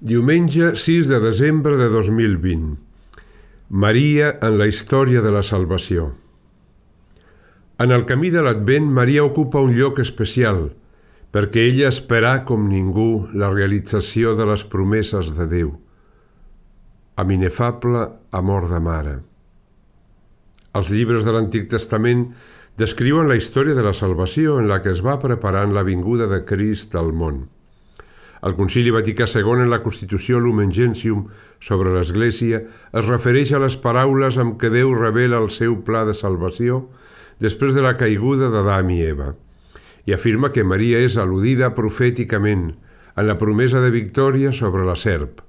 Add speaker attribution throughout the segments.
Speaker 1: Diumenge 6 de desembre de 2020. Maria en la història de la salvació. En el camí de l'Advent, Maria ocupa un lloc especial, perquè ella esperà com ningú la realització de les promeses de Déu, amb inefable amor de mare. Els llibres de l'Antic Testament descriuen la història de la salvació en la que es va preparant la vinguda de Crist al món. El Concili Vaticà II, en la Constitució Lumen Gentium sobre l'Església, es refereix a les paraules amb què Déu revela el seu pla de salvació després de la caiguda d'Adam i Eva, i afirma que Maria és al·ludida profèticament en la promesa de victòria sobre la serp.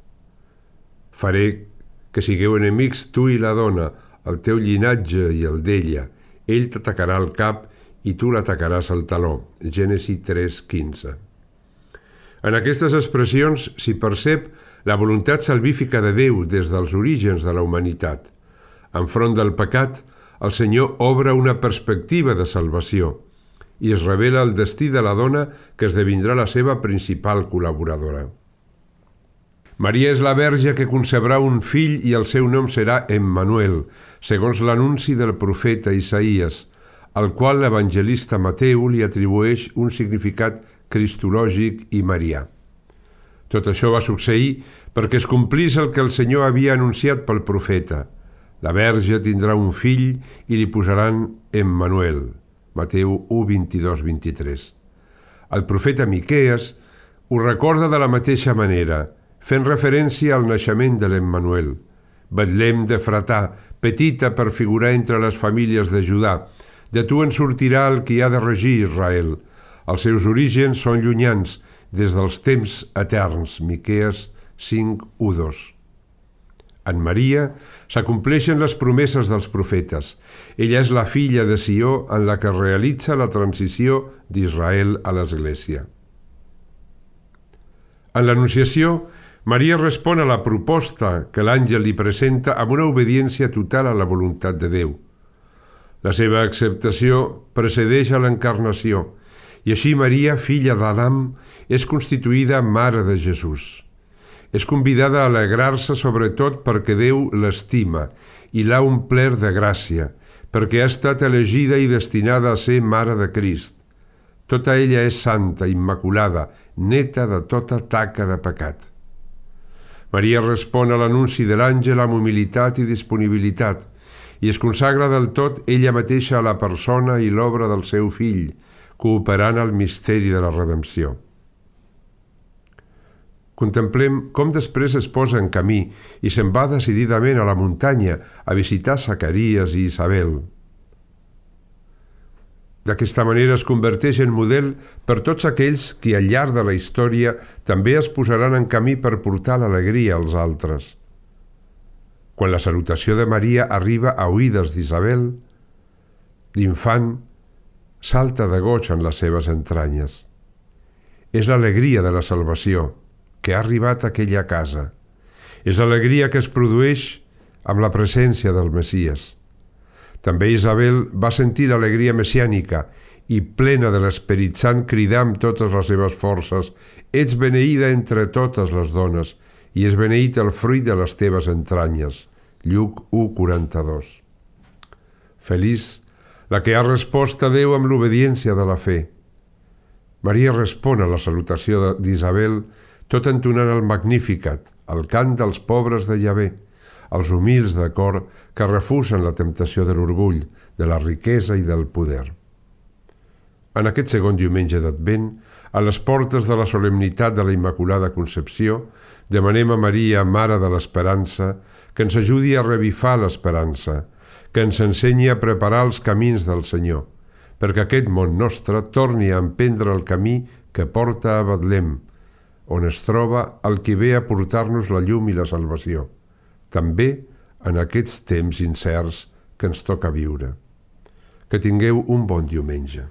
Speaker 1: Faré que sigueu enemics tu i la dona, el teu llinatge i el d'ella. Ell t'atacarà el cap i tu l'atacaràs al taló. Gènesi 3:15. En aquestes expressions s'hi percep la voluntat salvífica de Déu des dels orígens de la humanitat. Enfront del pecat, el Senyor obre una perspectiva de salvació i es revela el destí de la dona que esdevindrà la seva principal col·laboradora. Maria és la verge que concebrà un fill i el seu nom serà Emmanuel, segons l'anunci del profeta Isaïes, al qual l'evangelista Mateu li atribueix un significat cristològic i marià. Tot això va succeir perquè es complís el que el Senyor havia anunciat pel profeta. La verge tindrà un fill i li posaran Emmanuel. Mateu 1:22-23. El profeta Miquees ho recorda de la mateixa manera, fent referència al naixement de l'Emmanuel. Betlem d'Efratà, petita per figurar entre les famílies de Judà, de tu en sortirà el qui ha de regir Israel. Els seus orígens són llunyans, des dels temps eterns. Miquees 5:1-2. En Maria s'acompleixen les promeses dels profetes. Ella és la filla de Sió en la que realitza la transició d'Israel a l'Església. En l'Anunciació, Maria respon a la proposta que l'àngel li presenta amb una obediència total a la voluntat de Déu. La seva acceptació precedeix a l'encarnació, i així Maria, filla d'Adam, és constituïda mare de Jesús. És convidada a alegrar-se sobretot perquè Déu l'estima i l'ha omplert de gràcia, perquè ha estat elegida i destinada a ser mare de Crist. Tota ella és santa, immaculada, neta de tota taca de pecat. Maria respon a l'anunci de l'àngel amb humilitat i disponibilitat i es consagra del tot ella mateixa a la persona i l'obra del seu fill, cooperant al misteri de la redempció. Contemplem com després es posa en camí i se'n va decididament a la muntanya a visitar Zacaries i Isabel. D'aquesta manera es converteix en model per tots aquells que al llarg de la història també es posaran en camí per portar l'alegria als altres. Quan la salutació de Maria arriba a oïdes d'Isabel, l'infant salta de goig en les seves entranyes. És l'alegria de la salvació que ha arribat a aquella casa. És l'alegria que es produeix amb la presència del Messies. També Isabel va sentir l'alegria messiànica i, plena de l'Esperit Sant, cridà amb totes les seves forces: «Ets beneïda entre totes les dones, i és beneït el fruit de les teves entranyes». Lluc 1:42. Feliç la que ha respost a Déu amb l'obediència de la fe. Maria respon a la salutació d'Isabel tot entonant el Magnificat, el cant dels pobres de Yahvé, els humils de cor que refusen la temptació de l'orgull, de la riquesa i del poder. En aquest segon diumenge d'Advent, a les portes de la solemnitat de la Immaculada Concepció, demanem a Maria, Mare de l'Esperança, que ens ajudi a revifar l'esperança, que ens ensenyi a preparar els camins del Senyor, perquè aquest món nostre torni a emprendre el camí que porta a Betlem, on es troba el qui ve a portar-nos la llum i la salvació, també en aquests temps incerts que ens toca viure. Que tingueu un bon diumenge.